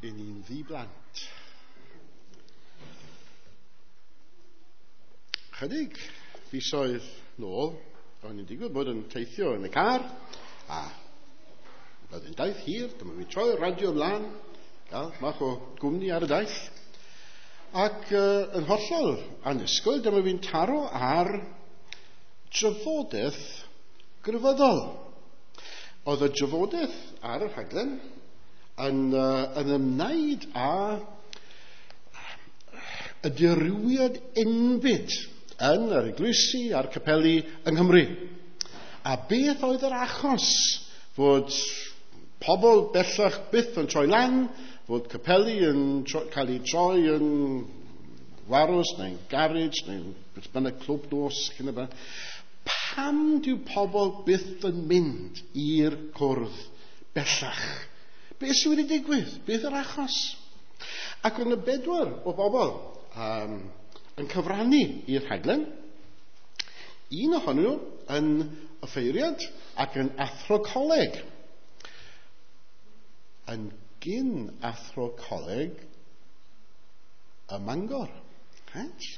I ni'n ddi-blant. Chydig fisoedd nôl, o'n i'n digwydd bod yn teithio yn y car, a roedd yn daith hir, dyma fi troi'r radio ymlaen, gael mach o gwmni ar y daith. Ac yn hollol annisgwyl, dyma fi'n taro ar drafodaeth grefyddol. Oedd y drafodaeth ar y rhaglen yn ymwneud â y dirywiad enbyd yn yr eglwysi a'r capeli yng Nghymru. A beth oedd yr achos fod pobl bellach byth yn troi lan, fod capeli yn cael eu troi yn warws neu'n garage neu'n beth bynnag clwb nos, cyn y blaen. Pam dyw pobl byth yn mynd i'r cwrdd bellach? Beth sydd wedi digwydd? Beth yw'r achos? Ac oedd yna 4 o bobl yn cyfrannu i'r rhaglen. Un ohonyn nhw yn offeiriad ac yn athro coleg. Yn gyn athro coleg ym Mangor. Right?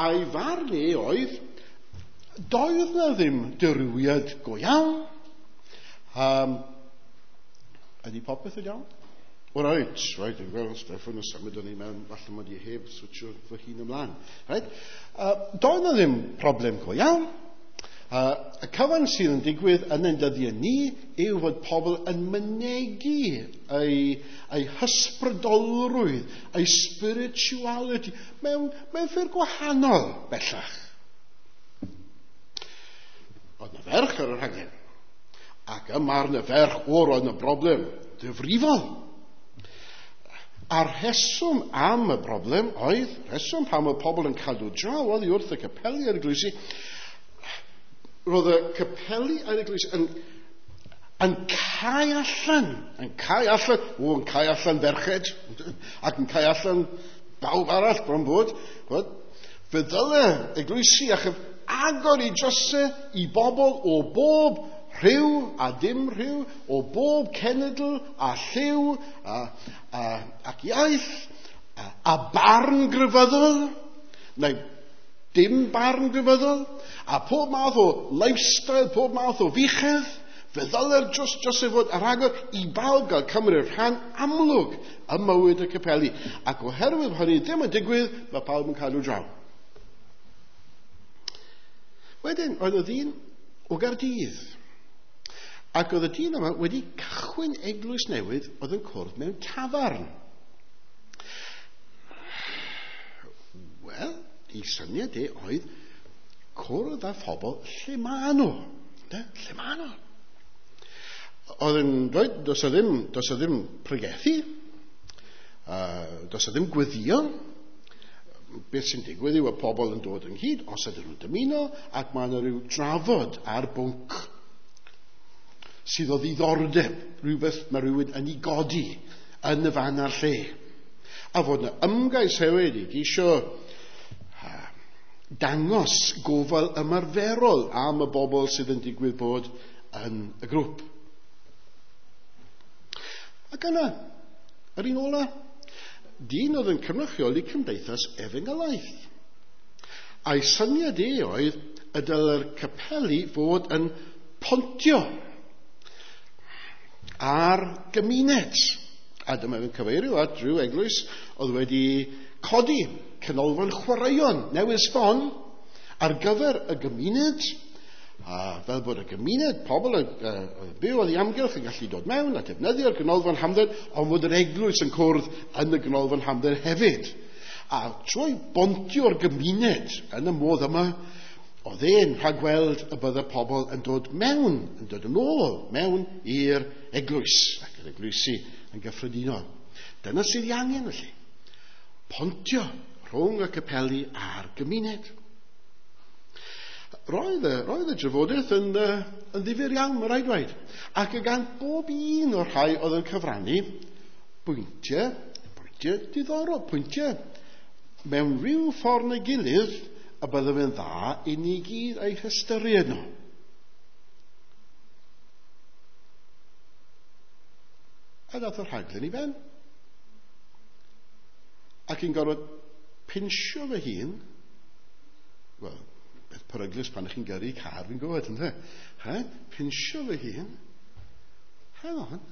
A'i farn e oedd, doedd na ddim dirywiad go iawn. Ydy popeth yn iawn? O, reit, dwi'n gweld Steffan yn symud o'n i mewn, falle mod i heb switio fy hun ymlaen. Right? Doedd na ddim problem go iawn. Y cyfan sydd yn digwydd yn ein dyddiau ni yw fod pobl yn mynegi eu hysbrydolrwydd, eu spirituality mewn ffyrdd gwahanol bellach. Oedd na ferch ar y rhaglen. Ac ym marn y ferch, roedd yna broblem difrifol. A'r rheswm am y broblem oedd, rheswm pam oedd pobl yn cadw draw oddi wrth y capeli a'r eglwysi, roedd y capeli a'r eglwysi yn cau allan, yn cau allan, yn cau allan ferched, ac yn cau allan bawb arall bron bod. Fe ddyle eglwysi a agor i drysau i bobl o bob rhyw a dim rhyw, o bob cenedl a lliw ac iaith a barn grefyddol, neu dim barn grefyddol, a pob math o lifestyle, pob math o fuchedd. Fe ddyle'r dros ei fod ar agor i bawb gael cymryd rhan amlwg ym mywyd y capeli. Ac oherwydd hynny ddim yn digwydd, mae pawb yn cadw draw. Wedyn, oedd y ddyn o Gaerdydd. Ac oedd y dyn yma wedi cychwyn eglwys newydd oedd yn cwrdd mewn tafarn. Wel, ei syniad e oedd cwrdd â phobl lle maen nhw. Lle maen nhw. Oedd yn dweud, does e ddim pregethu, does e ddim gweddio. Beth sy'n digwydd yw y pobl yn dod ynghyd, os ydyn nhw'n dymuno, ac mae yna rhyw drafod ar bwnc sydd o ddiddordeb, rhywbeth mae rhywun yn ei godi yn y fan a'r lle. A fod yna ymgais hefyd i geisio dangos gofal ymarferol am y bobl sydd yn digwydd bod yn y grŵp. Ac yna, yr un ola, dyn oedd yn cynrychioli cymdeithas efengylaidd. A'i syniad e oedd y dyle'r capeli fod yn pontio ar gymuned. A dyma fe'n cyfeirio at rhyw eglwys oedd wedi codi canolfan chwaraeon newydd sbon ar gyfer y gymuned, a fel bod y gymuned, pobl oedd byw oddi amgylch yn gallu dod mewn a defnyddio'r ganolfan hamdden, ond fod yr eglwys yn cwrdd yn y ganolfan hamdden hefyd. A trwy bontio'r gymuned yn y modd yma, oedd e'n rhagweld y bydde pobl yn dod mewn, yn dod yn ôl mewn i'r eglwys, ac yr eglwysi yn gyffredinol. Dyna sydd ei angen felly. Pontio rhwng y capeli a'r gymuned. Roedd y drafodaeth yn ddifyr iawn, mae rhaid dweud. Ac y gan bob un o'r rhai oedd yn cyfrannu bwyntiau diddorol, pwyntiau mewn rhyw ffordd neu gilydd y bydde fe'n dda i ni gyd eu hystyried nhw. A dath y rhaglen i ben. Ac i'n gorfod pinsio fy hun, wel, beth peryglus pan ych chi'n gyrru car, fi'n gwybod, ynddo? Ha? Pinsio fy hun. Hang on.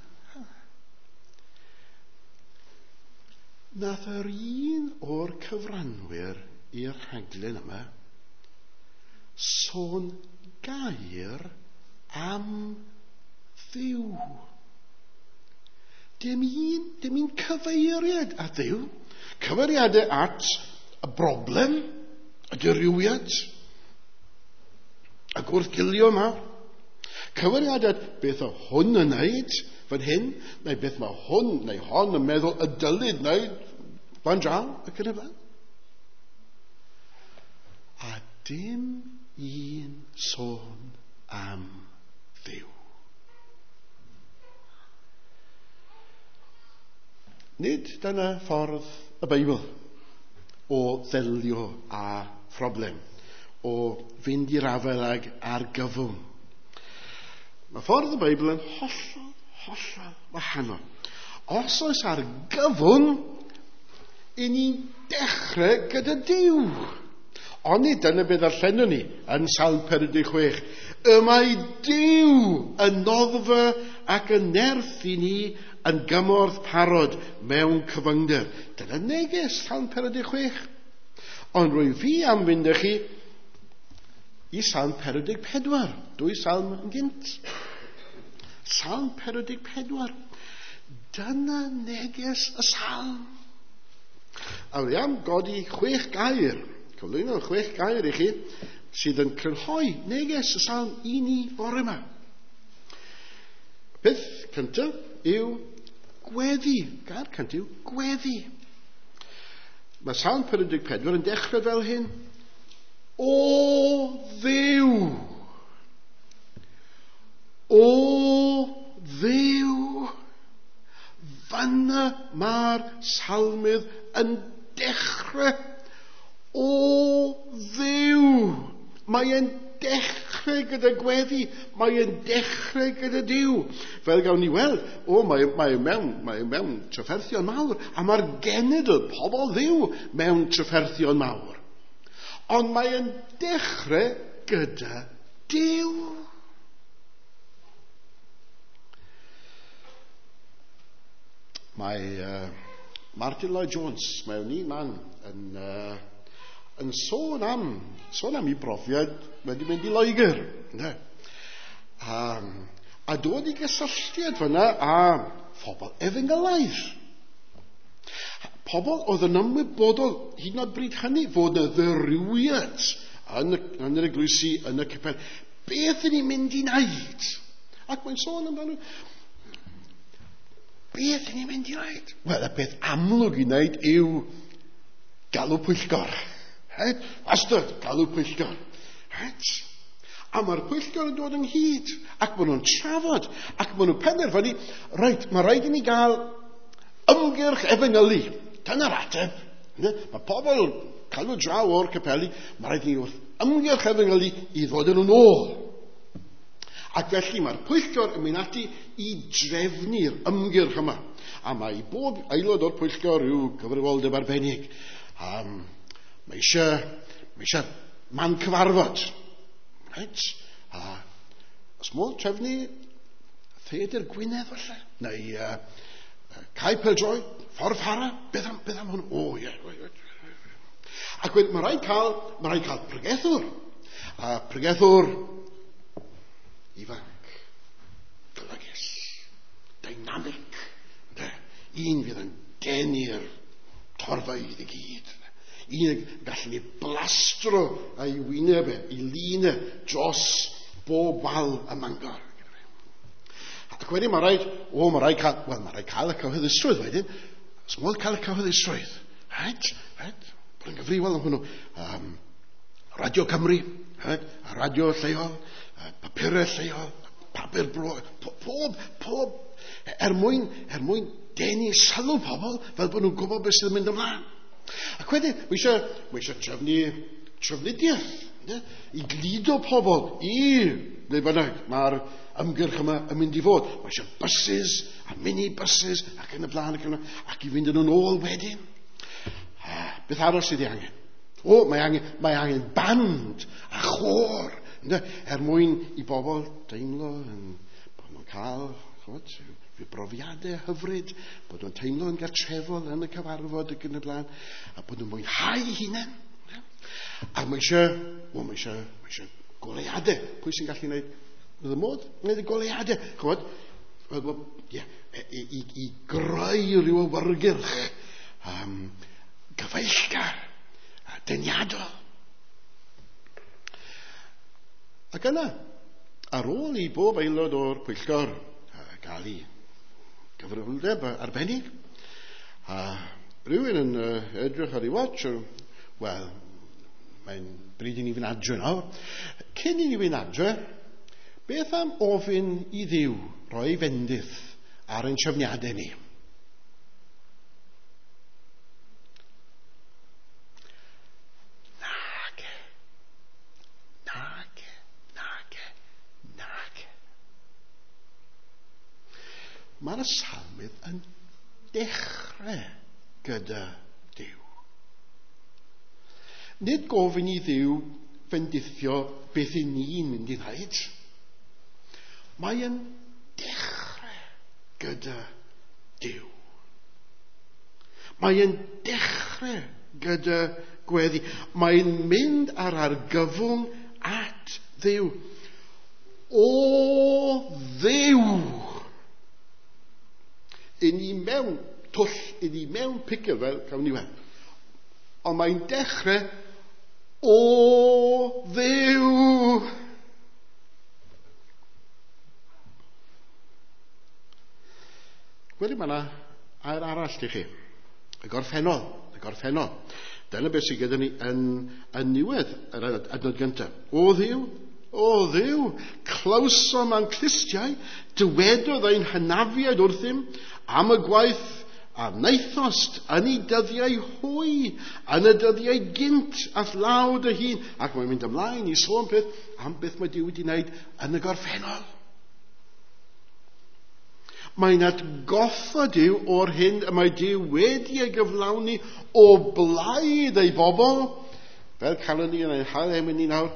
Nath yr un o'r cyfranwyr i'r rhaglen yma sôn gair am Dduw. Dim un cyfeiriad at Dduw. Cyfeiriadau at y broblem, y dirywiad, y gwrthgilio yma. Cyfeiriadau at beth o hwn yn wneud fan hyn, neu beth mae hwn neu hon yn meddwl y dylid wneud fan draw, ac yn y blaen. A dim un sôn am Dduw. Nid dyna ffordd y Beibl o ddelio â phroblem, o fynd i'r afael ag argyfwng. Mae ffordd y Beibl yn hollol, hollol wahanol. Os oes argyfwng, i ni'n dechrau gyda Duw. Ond nid dyna beth ddarllenwn ni yn Salm 46. Y mae Duw yn noddfa ac yn nerth i ni yn gymorth parod mewn cyfyngder. Dyna neges Salm 46. Ond rwy fi am fynd â chi i Salm 44. Dwy salm yn gynt. Salm 44. Dyna neges y salm. A rwy am godi 6 gair. Cyflwyno 6 gair i chi sydd yn crynhoi neges y salm i ni bore yma. Peth cyntaf yw gweddi. Gair cyntaf yw gweddi. Mae Salm 44 yn dechrau fel hyn. O Dduw! O Dduw! Fanna mae'r salmydd yn dechrau. O Dduw! Mae e'n dechrau gyda gweddi. Mae e'n dechrau gyda Duw. Fel gawn ni weld, mae mewn trafferthion mawr, a mae'r genedl, pobl Dduw, mewn trafferthion mawr. Ond mae e'n dechrau gyda Duw. Mae Martin Lloyd Jones, mewn un man, yn sôn am ei brofiad wedi mynd i Loegr. A dod i gysylltiad fyna â phobl efengylaidd. Pobl oedd yn ymwybodol hyd yn oed bryd hynny fod yna ddirywiad yn yr eglwysi, yn y capel. Beth ydyn ni'n mynd i wneud? Ac mae'n sôn amdano. Beth ydyn ni'n mynd i wneud? Wel, y peth amlwg i wneud yw galw pwyllgor. Right? Wastad, galw pwyllgor. Right? A mae'r pwyllgor yn dod ynghyd, ac maen nhw'n trafod, ac maen nhw'n penderfynu, reit, mae rhaid i ni gael ymgyrch efengylu. Dyna'r ateb. Mae pobl cael nhw draw o'r capeli, mae rhaid i ni wrth ymgyrch efengylu i ddod yn nhw'n ôl. Ac felly mae'r pwyllgor yn mynd ati i drefnu'r ymgyrch yma. A mae bob aelod o'r pwyllgor rhyw gyfrifoldeb arbennig. Mae eisiau man cyfarfod. Right? A os modd trefnu Theatr Gwynedd falle, neu Cae Pêl-droed, Ffordd Fara, beth am hwn? O, ie. Ac wedyn, mae rhaid cael pregethwr. A pregethwr ifanc, golygus, dynamic, un fydd yn denu'r torfeydd i gyd. Un gallu ni blastro ei wyneb, ei lun dros bob wal y Mangor. Ac wedyn mae rhaid cael y cyhoeddusrwydd wedyn. Os modd cael y cyhoeddusrwydd. Right? Bod yn gyfrifol am hwnnw. Radio Cymru, right? A radio lleol, papurau lleol, papur bro, pob, er mwyn denu sylw pobl fel bod nhw'n gwybod beth sydd yn mynd ymlaen. Ac wedyn, mae eisiau trefnu trafnidiaeth, i gludo pobl i ble bynnag mae'r ymgyrch yma yn mynd i fod. Mae eisiau buses a mini-buses ac yn y blaen ac i fynd yn ôl wedyn. Beth arall sydd ei angen? O, mae angen band a chôr, ynde, er mwyn i bobl deimlo yn, bod nhw'n cael, ch'mod, rhyw brofiadau hyfryd, bod nhw'n teimlo yn gartrefol yn y cyfarfod ac yn y blaen, a bod nhw'n mwynhau eu hunain. A mae eisiau goleuadau. Pwy sy'n gallu gwneud? Bydd y modd wneud y goleuadau. Ch'mod, i greu rhyw awyrgylch gyfeillgar a deniadol. Ac yna, ar ôl i bob aelod o'r pwyllgor gael ei gyfrifoldeb arbennig, a rhywun yn edrych ar ei watch, wel, mae'n bryd i ni fynd adre nawr. Cyn i ni fynd adre, beth am ofyn i Dduw roi fendith ar ein trefniadau ni? Nage. Mae'r salmydd yn dechrau gyda Duw. Nid gofyn i Dduw fendithio beth i ni'n mynd i wneud. Mae yn dechrau gyda Duw. Mae yn dechrau gyda gweddi. Mae'n mynd ar argyfwng at Dduw. O Dduw! I ni mewn twll, i ni mewn picyl, fel cawn ni weld. Ond mae'n dechrau, o Dduw! Wedyn mae yna air arall i chi. Y gorffennol. Dyna beth sydd gyda ni yn niwedd yr adnod gyntaf. O Dduw, clywsom a'n clustiau, dywedodd ein hynafiaid wrthym am y gwaith a wnaethost yn ei dyddiau hwy, yn y dyddiau gynt a'th law dy hun. Ac mae'n mynd ymlaen i sôn peth am beth mae Duw wedi wneud yn y gorffennol. Mae'n atgoffa Duw o'r hyn y mae Duw wedi ei gyflawni o blaid ei bobl, fel calon ni yn ein hail emyn ni nawr,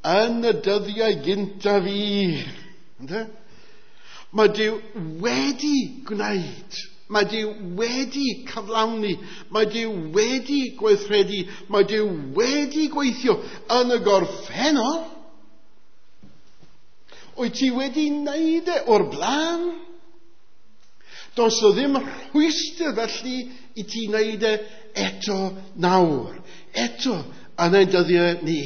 yn y dyddiau gyntaf i. Ynde? Mae Duw wedi gwneud, mae Duw wedi cyflawni, mae Duw wedi gweithredu, mae Duw wedi gweithio yn y gorffennol. Wyt ti wedi wneud e o'r blaen? Does o ddim rhwystr felly i ti wneud e eto nawr, eto yn ein dyddiau ni.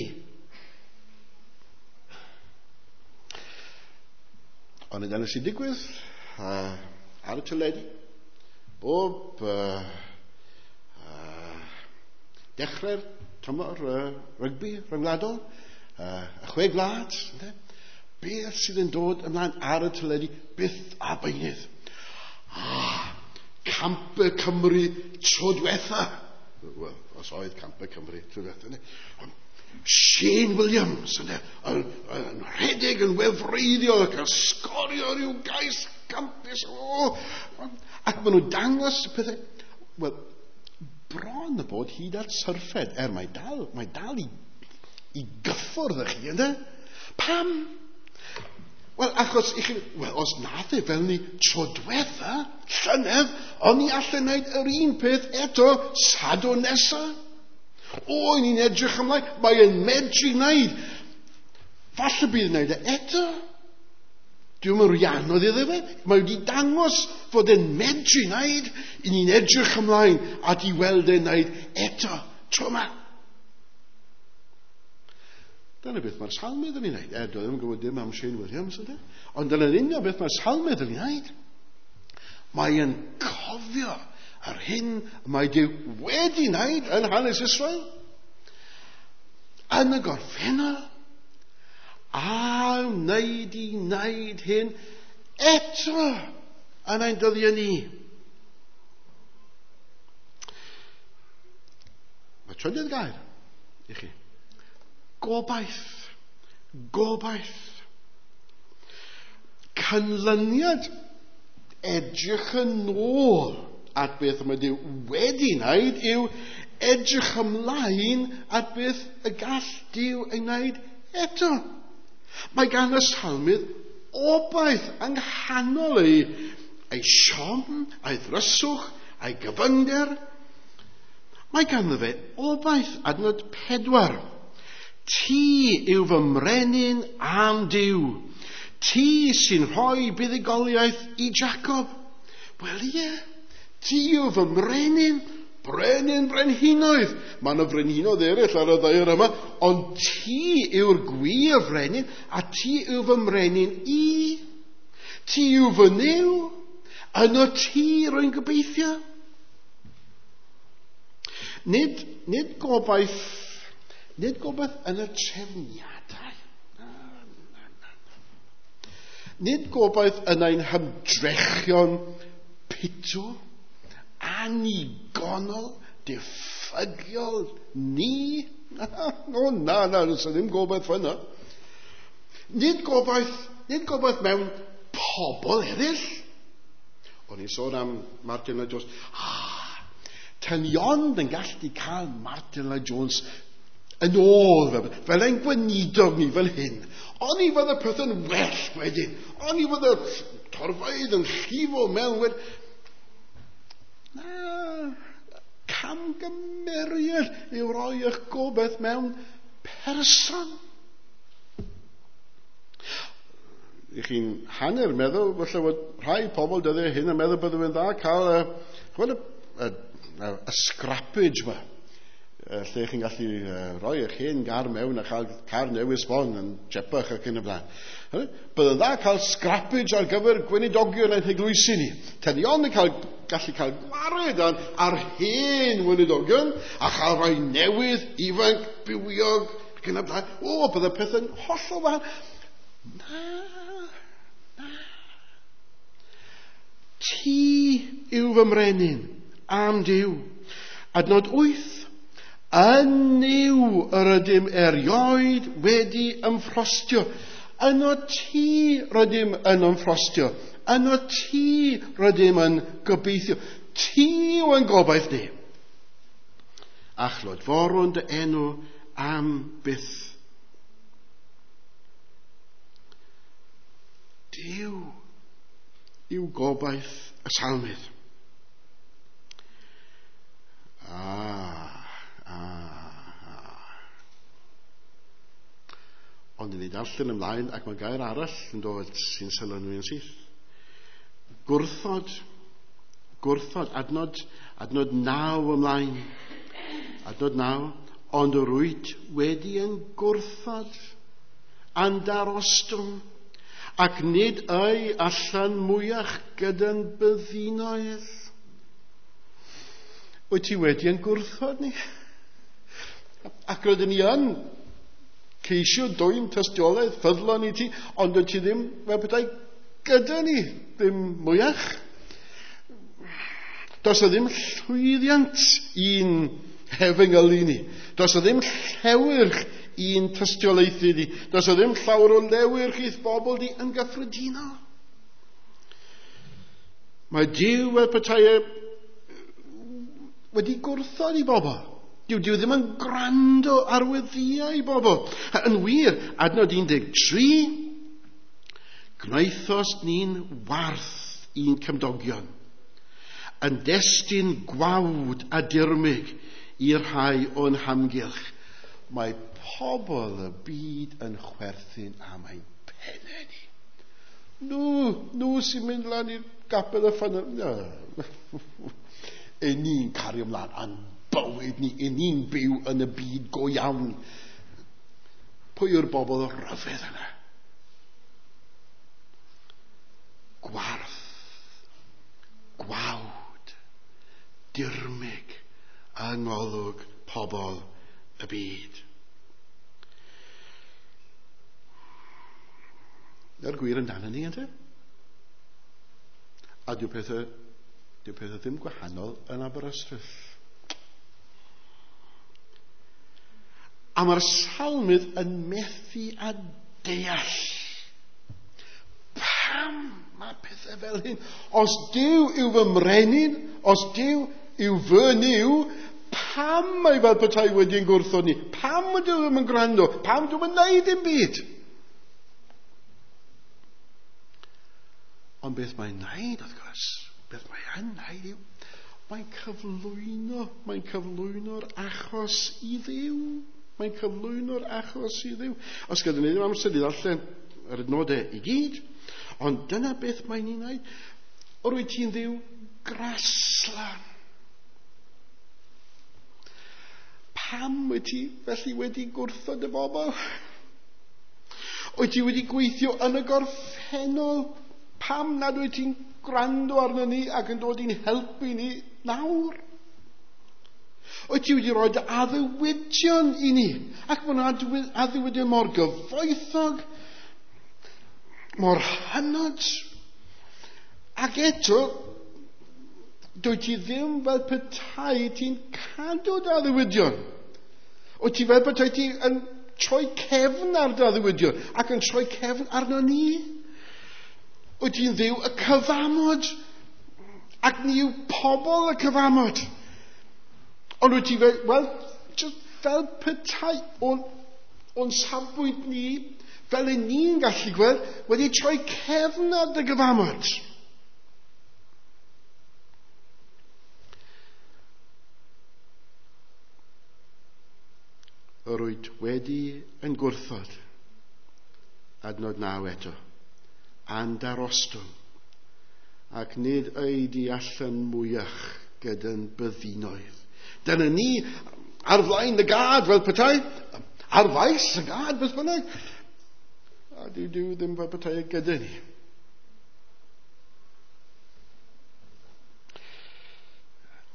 Ond dyna sy'n digwydd ar y teledu. Bob dechrau'r tymor rygbi rhyngwladol, y 6 gwlad, beth sydd yn dod ymlaen ar y teledu byth a beunydd. Campau Cymru tro diwetha. Wel, os oedd Campau Cymru tro diwetha. Shane Williams yn rhedeg yn wefreiddiol ac yn sgorio rhyw gais campus. Ac maen nhw'n dangos pethau. Wel, bron y bod hyd at syrffed, er mae dal i gyffwrdd â chi, ynddo? Pam? Wel, achos i chi, wel, os nath e fel ni tro diwetha, llynedd, o'n i allan wneud yr un peth eto Sadwrn nesa. O, ni'n edrych ymlaen, mae'n medru wneud. Falle bydd wneud e eto. Dwi'n mynd rhy anodd iddo fe. Mae wedi dangos fod e'n medru wneud. I ni'n edrych ymlaen at i weld e'n wneud eto tro yma. Dyna beth mae'r salmydd yn ei wneud. Dwi ddim yn gwybod dim am Shane Williams, ydy? Ond dyna'n union beth mae'r salmydd yn ei wneud. Mae'n cofio yr hyn mae Duw wedi wneud yn hanes Israel, yn y gorffennol, a wneud i wneud hyn eto yn ein dyddiau ni. Mae trydydd gair i chi. Gobaith. Gobaith. Canlyniad edrych yn ôl at beth mae Duw wedi wneud yw edrych ymlaen at beth y gall Duw ei wneud eto. Mae gan y salmydd obaith yng nghanol ei siom, ei ddryswch, ei gyfyngder. Mae ganddo fe obaith, adnod 4. Ti yw fy mrenin am Duw. Ti sy'n rhoi buddugoliaeth i Jacob. Wel ie, ti yw fy mrenin, brenin brenhinoedd. Mae yna frenhinoedd eraill ar y ddaear yma, ond ti yw'r gwir frenin, a ti yw fy mrenin i. Ti yw fy Nuw, yno ti rwy'n gobeithio. Nid gobaith yn y trefniadau. Na. Nid gobaith yn ein hymdrechion pitw, annigonol, diffygiol, ni. O na, does ddim gobaith fyna. Nid gobaith mewn pobl eraill. O'n i'n sôn am Martin Lloyd Jones. Tan ond yn gallu cael Martin Lloyd Jones yn ôl, fel ein gweinidog ni fel hyn. O'n i fod y peth yn well wedyn. O'n i fod y torfeydd yn llifo mewn wedyn. Na, camgymeriad yw roi eich gobaith mewn person. I chi'n hanner meddwl, falle bod rhai pobl dyddiau hyn yn meddwl byddwn yn dda cael y scrappage yma, lle chi'n gallu rhoi eich hen gar mewn a chael car newydd sbon yn tsepach ac yn y blaen. Bydd yn dda cael scrappage ar gyfer gweinidogion ein heglwysi ni. Tenion yn gallu cael gwared ar hen weinidogion a chael rhai newydd, ifanc, bywiog ac yn y blaen. O, bydd y peth yn hollol wahanol. Na. Ti yw fy mrenin am Duw. Adnod 8. Yn Nuw yr ydym erioed wedi ymffrostio. Yno ti rydym yn ymffrostio. Yno ti rydym yn gobeithio. Ti yw ein gobaith ni. A chlodforwn dy enw am byth. Duw yw gobaith y salmydd. Ond ni darllen ymlaen ac mae gair arall yn dod sy'n sylw yn syth. Gwrthod, adnod 9 ymlaen. Adnod 9, ond yr wyt wedi yn gwrthod a'n darostwng, ac nid ei allan mwyach gyda'n byddinoedd. Wyt ti wedi yn gwrthod ni? Ac rydyn ni yn ceisio dwyn tystiolaeth ffyddlon i ti, ond wyt ti ddim fel petai gyda ni, ddim mwyach. Does o ddim llwyddiant i'n hefengylu ni. Does o ddim llewyrch i'n tystiolaethu ni. Does o ddim llawer o lewyrch i'th bobl di yn gyffredinol. Mae Duw fel petai wedi gwrthod i bobl. Dyw ddim yn gwrando ar weddïau i bobl. Yn wir, adnod 13, gwnaethost ni'n warth i'n cymdogion, yn destun gwawd a dirmyg i'r rhai o'n hamgylch. Mae pobl y byd yn chwerthin am ein pennau ni. Nhw sy'n mynd lan i'r gapel y ffynnon. E ni'n cario ymlaen a'n bywyd ni, e ni'n byw yn y byd go iawn. Pwy yw'r bobl ryfedd yna? Gwarth, gwawd, dirmyg yng ngolwg pobl y byd. Dyna'r gwir amdano ni, ynte? A dyw pethau ddim gwahanol yn Aberystwyth. A mae'r salmydd yn methu a deall pam mae pethau fel hyn. Os Duw yw fy mrenin, Os Duw yw fy Nuw, pam mae fel petai wedi'n gwrthod ni? Pam ydy ddim yn gwrando? Pam dwi'n yn neud dim byd? Ond beth mae'n neud, wrth gwrs, beth mae'n neud yw, mae'n cyflwyno'r achos i Dduw. Mae'n cyflwyno'r achos i Dduw. Os gyda ni ddim amser i ddarllen yr adnodau i gyd, ond dyna beth mae'n ei wneud. Yr wyt ti'n Dduw graslan. Pam wyt ti felly wedi gwrthod y bobl? Wyt ti wedi gweithio yn y gorffennol? Pam nad wyt ti'n gwrando arno ni ac yn dod i'n helpu ni nawr? Wyt ti wedi rhoi dy addewidion i ni? Ac mae'n addewidion mor gyfoethog, mor hynod. Ac eto, dwyt ti ddim fel petai ti'n cadw dy addewidion. Wyt ti fel petai ti yn troi cefn ar dy addewidion ac yn troi cefn arno ni. Wyt ti'n Dduw y cyfamod, ac ni yw pobl y cyfamod. Ond wyt ti fel, wel, just fel petai o'n safbwynt ni, fel y ni'n gallu gweld, wedi troi cefn ar dy gyfamod. Yr wyt wedi yn gwrthod, adnod 9 eto, a'n darostwng, ac nid ei di allan mwyach gyda'n byddinoedd. Dyna ni ar flaen y gad fel petai, ar faes y gad beth bynnag. A dyw Duw ddim fel petai gyda ni.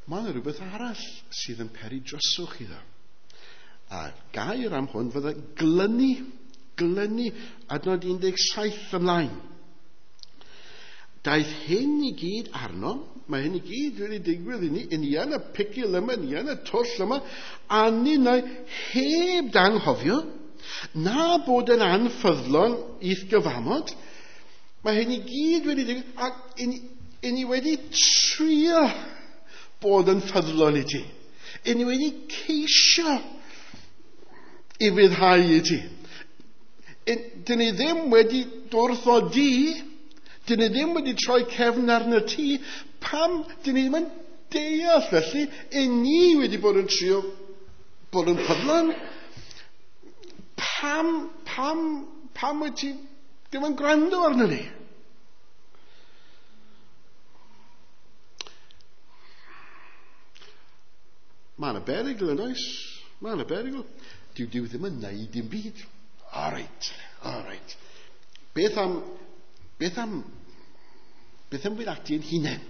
Mae yna rhywbeth arall sydd yn peri dryswch iddo. A gair am hwn fydde glynu, adnod 17 ymlaen. Daeth hyn i gyd arno, mae hyn i gyd wedi digwydd i ni, ni yn y picil yma, ni yn y twll yma, a ninnau heb danghofio, na bod yn anffyddlon i'th gyfamod. Mae hyn i gyd wedi digwydd, ac i ni wedi trio bod yn ffyddlon i ti. I ni wedi ceisio i fyddhau i ti. Dyn ni ddim wedi dwrthodi, dyn ni ddim wedi troi cefn arno ti. Pam dyn ni ddim yn deall felly, i ni wedi bod yn trio bod yn ffyddlon? Pam wyt ti ddim yn gwrando arno ni? Mae yna berygl yn oes. Mae yna berygl. Dyw Duw ddim yn neud dim byd. All right. Beth am fynd ati yn hunain?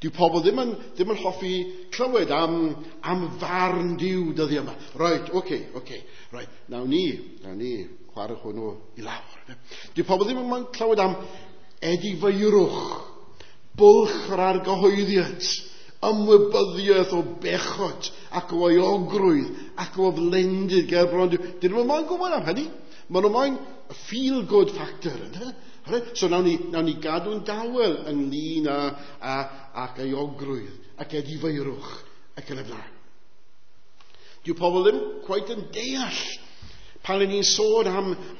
Dyw pobl ddim yn hoffi clywed am farn Duw dyddi yma. Right, okay. Right, nawn ni chwarae hwnnw i lawr. Dyw pobl ddim yn clywed am edifeirwch, bwlch yr argyhoeddiad, ymwybyddiaeth o bechod ac o euogrwydd ac o aflendid ger bron Duw. Dyn nhw'n moyn gwybod am hynny. Maen nhw'n moyn feel-good factor. Ynddo? So nawn ni gadw'n dawel ynglyn â euogrwydd ac edifeirwch ac yn y blaen. Dyw pobl ddim cweit yn deall pan ni'n sôn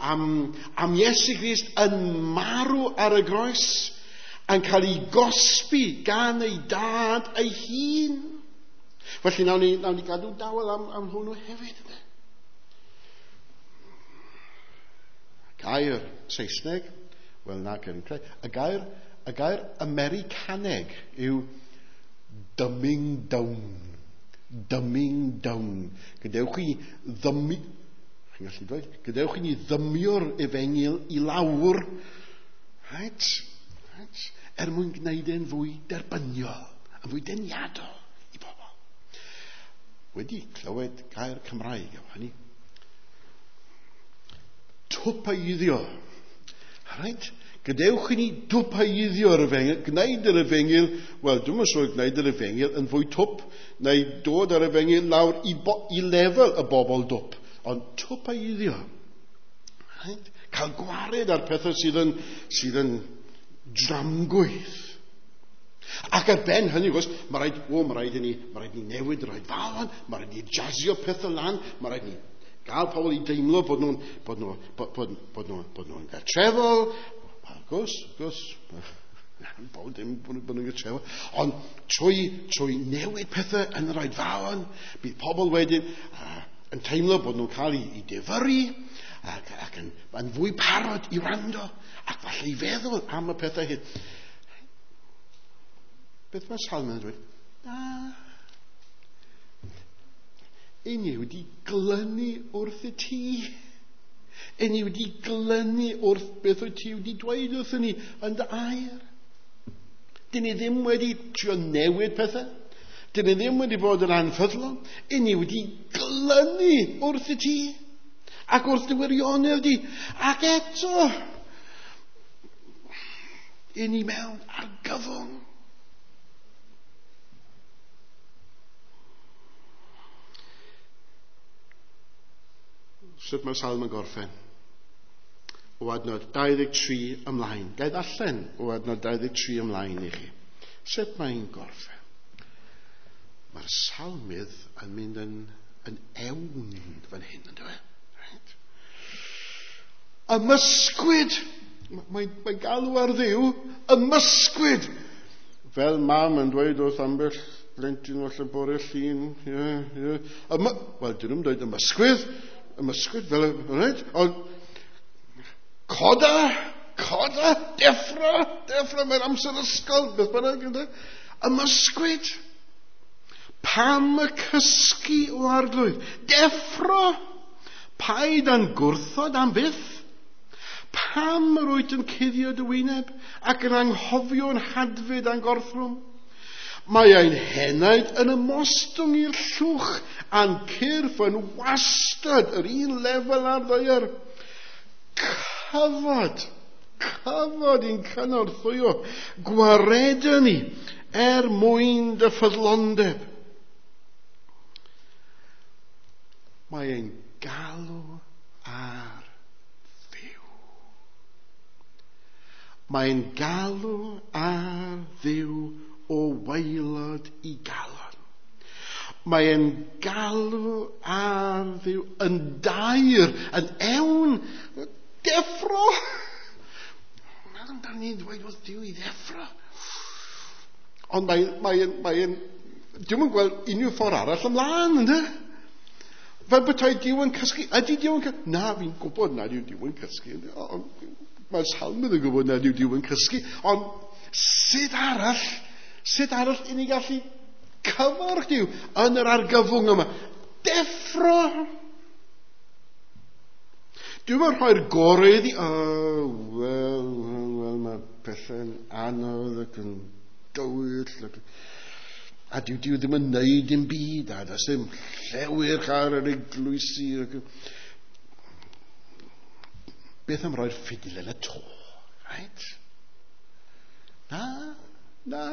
am Iesu Grist yn marw ar y groes, yn cael ei gosbi gan ei dad ei hun. Felly nawn ni gadw dawel am hwnnw hefyd. Gair Saesneg, wel na, y gair Americaneg yw dumbing down. Dumbing down. Gadewch i ni ddymio'r efengyl i lawr, right? Er mwyn gwneud e'n fwy derbyniol, yn fwy deniadol i bobl. Wedi clywed gair Cymraeg am hynny. Twpeiddio. Right? Gadewch i ni dwpeiddio'r efengyl, gwneud yr efengyl, wel, dwi'm yn siŵr gwneud yr efengyl yn fwy twp, neu dod yr efengyl lawr i lefel y bobl dwp, ond twpeiddio. Right? Cael gwared ar pethau sydd yn dramgwydd. A Ac ar ben hynny, gwrs, mae rhaid, o, mae rhaid i ni, mae rhaid ni newid yr oedfaon, mae rhaid ni jazio pethau lan, mae rhaid ni gael pobl i deimlo bod nhw'n bod nhw, bod, bod, bod nhw, bod nhw'n gartrefol. Wrth gwrs, wrth gwrs, bod dim bod nhw'n gartrefol. Ond trwy, trwy newid pethau yn yr oedfaon, bydd pobl wedyn yn teimlo bod nhw'n cael ei, ei difyrru ac, ac yn, yn fwy parod i wrando ac falle i feddwl am y pethau hyn. Beth mae Salmon yn dweud? Na. I ni wedi glynu wrth y ti. I ni wedi glynu wrth beth wyt ti wedi dweud wrthyn ni yn dy air. Dyn ni ddim wedi trio newid pethau. Dyn ni ddim wedi bod yn anffyddlon. I ni wedi glynu wrth y ti. Ac wrth dy wirionedd di. Ac eto, i ni mewn argyfwng. Sut mae'r salm yn gorffen? O adnod 23 ymlaen. Gai ddarllen o adnod 23 ymlaen i chi. Sut mae'n gorffen? Mae'r salmydd yn mynd yn, yn ewn fan hyn, yn dweud. Right? Ymysgwyd! Mae'n mae galw ar Dduw, ymysgwyd! Fel mam yn dweud wrth ambell blentyn falle bore llun. Yeah, yeah. Yma, wel, dyn nhw'n dweud ymysgwydd, ymysgwydd, fel, right? Ond, coda, coda, deffro, deffro, mae'r amser ysgol, beth bynnag, ynddo? Ymysgwyd. Pam y cysgu o arglwydd? Deffro! Paid a'n gwrthod am byth. Pam yr wyt yn cuddio dy wyneb ac yn anghofio'n hadfyd a'n gorthrwm? Mae ein henaid yn ymostwng i'r llwch a'n cyrff yn wastad yr un lefel ar ddaear. Cyfod, cyfod i'n cynorthwyo, gwaredu ni er mwyn dy ffyddlondeb. Mae ein galw ar Dduw. Mae'n galw ar Dduw o waelod i galon. Mae'n galw ar Dduw yn dair, yn ewn, deffro. Meddwl amdano ni'n dweud wrth Duw i ddeffro. Ond mae'n, mae, mae, dwi'm yn gweld unrhyw ffordd arall ymlaen, ynddo? Fel petai Duw yn cysgu. Ydy Duw yn cysgu? Na, fi'n gwybod nad yw Duw yn cysgu. Ond mae'r salmydd yn gwybod nad yw Duw yn cysgu. Ond sut arall, sut arall i ni gallu cyfarch Duw yn yr argyfwng yma? Deffro! Dwi'm yn rhoi'r gorau iddi. Oh, wel, wel, wel, mae pethau'n anodd ac yn dywyll. Ac... A dyw Duw ddim yn neud dim byd, a does dim llewyrch ar yr eglwysi. Ac... Beth am roi'r ffidil yn y to? Right? Na, na.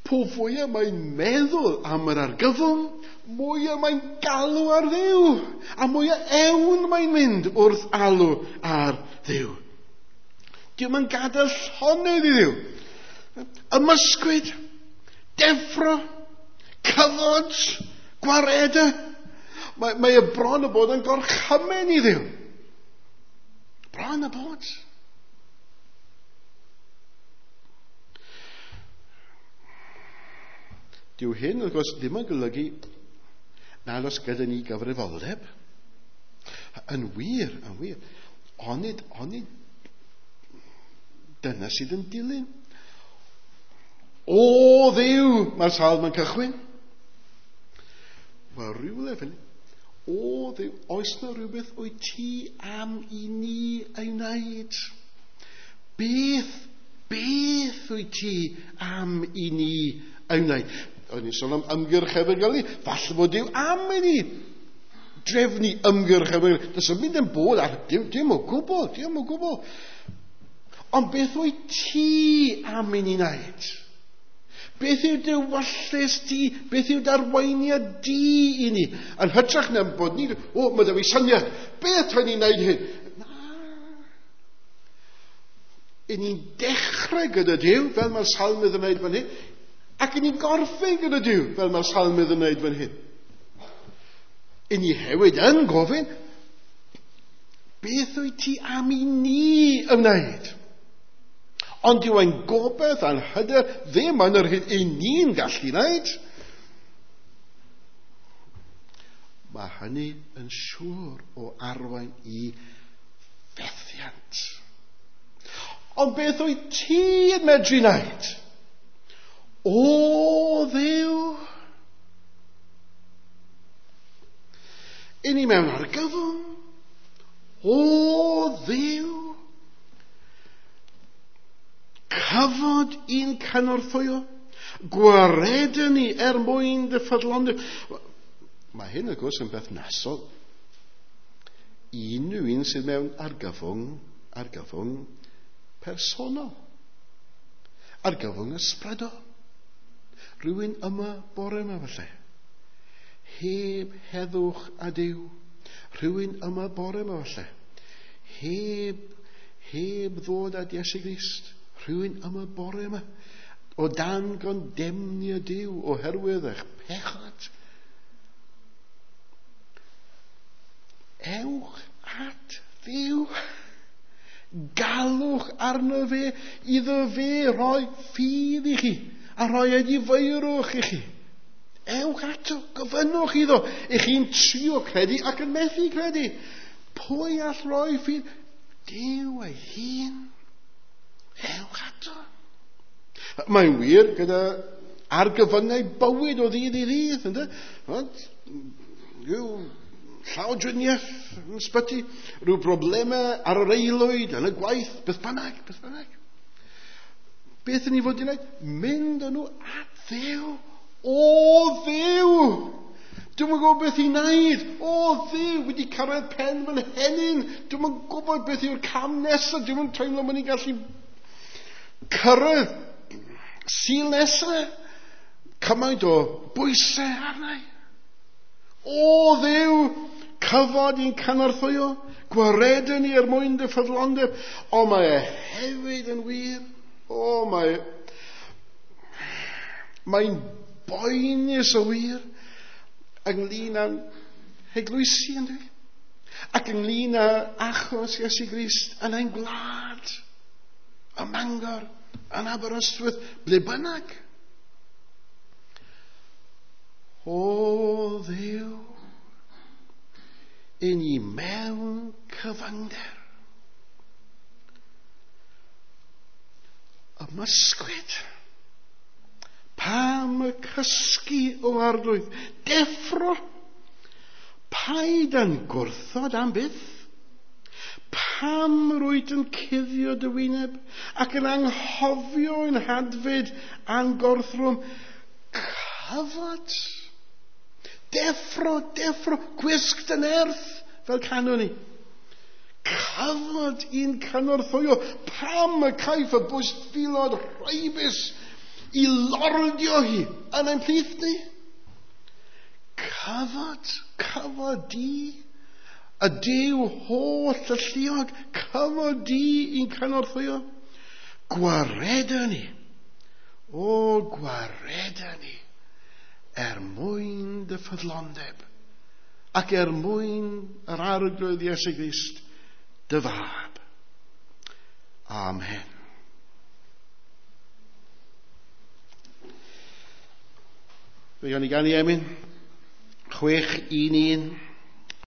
Po fwyaf mae'n meddwl am yr argyfwng, mwyaf mae'n galw ar Dduw. A mwyaf ewn mae'n mynd wrth alw ar Dduw. Dyw'n yn gadael llonydd i Dduw. Ymysgwyd, deffro, cyfod, gwared. Mae, mae y bron y bod yn gorchymyn i Dduw. Bron y bod. Dyw hyn, wrth gwrs, ddim yn golygu nad oes gyda ni gyfrifoldeb. Yn wir, yn wir. Onid, onid dyna sydd yn dilyn. O Dduw, mae'r salm yn cychwyn. Wel, rhywle fel O Dduw, oes na rhywbeth wyt ti am i ni ei wneud? Beth, beth wyt ti am i ni ei wneud? O'n i'n sôn am ymgyrch efengylu. Falle bod Duw am i ni drefnu ymgyrch efengylu. Does yn mynd yn bod ar dim, dim o gwbl, dim o gwbl. Ond beth wyt ti am i ni wneud? Beth yw dy wallus di? Beth yw darweiniad di i ni? Yn hytrach na bod ni, o, mae dy fi syniad. Beth rhaid ni'n wneud hyn? Na. I ni'n dechrau gyda Duw, fel mae'r salmydd yn wneud fan hyn, ac i ni'n gorffen gyda Duw, fel mae'r salmydd yn wneud fan hyn. I ni hefyd yn gofyn, beth wyt ti am i ni ymwneud? Ond yw ein gobaith a'n hyder ddim yn yr hyn i ni'n gallu wneud. Mae hynny yn siŵr o arwain i fethiant. Ond beth wyt ti yn medru wneud? O Dduw! I ni mewn argyfwng. O Dduw! Cyfod i'n cynorthwyo. Gwaredu ni er mwyn dy ffyddlondeb. Mae hyn, wrth gwrs, yn berthnasol i unrhyw un sydd mewn argyfwng, argyfwng personol. Argyfwng ysbrydol. Rhywun yma bore yma falle. Heb heddwch a Duw. Rhywun yma bore yma falle. Heb ddod at Iesu Grist. Rhywun yma bore yma. O dan gondemnio Duw oherwydd eich pechod. Ewch at Dduw. Galwch arno fe iddo fe roi ffydd i chi a rhoi edifeirwch i chi. Ewch ato, gofynnwch iddo. I chi'n trio credu ac yn methu credu. Pwy all roi ffydd? Duw ei hun. Ewch ato. Mae'n wir gyda argyfyngau bywyd o ddydd i ddydd, ynde? Rhyw llawdriniaeth yn ysbyty, rhyw broblemau ar yr aelwyd, yn y gwaith, beth bynnag, beth bynnag. Beth yn ni fod i wneud? Mynd â nhw at Dduw. O Dduw! Dwi'm yn gwybod beth i wneud. O Dduw, wedi cyrraedd pen fy nhenyn. Dwi'm yn gwybod beth yw'r cam nesaf. Dwi'm yn teimlo mod i'n gallu cyrraedd Sul nesaf. Cymaint o bwysau arna i. O Dduw, cyfod i'n cynorthwyo, gwaredu ni er mwyn dy ffyddlondeb. O, mae e hefyd yn wir. O, mae'n boenus o wir ynglyn â'n heglwysi, yn dwi? Ac ynglyn â achos Iesu Grist yn ein gwlad, ym Mangor, yn Aberystwyth, ble bynnag. O Dduw, i ni mewn cyfyngder. Ymysgwyd. Pam y cysgu o Arglwydd? Deffro. Paid yn gwrthod am byth. Pam rwyt yn cuddio dy wyneb ac yn anghofio ein hadfyd a'n gorthrwm? Cyfod. Deffro, deffro, gwisg dy nerth, fel canwn ni. Cyfod i'n cynorthwyo. Pam y caiff y bwystfilod rhaibus i lordio hi yn ein plith ni? Cyfod, cyfod di, y Duw holl alluog, cyfod di i'n cynorthwyo. Gwareda ni, o gwareda ni, er mwyn dy ffyddlondeb ac er mwyn yr Arglwydd Iesu Grist, dy fab. Amen. Fe gawn ni ganu emyn 611.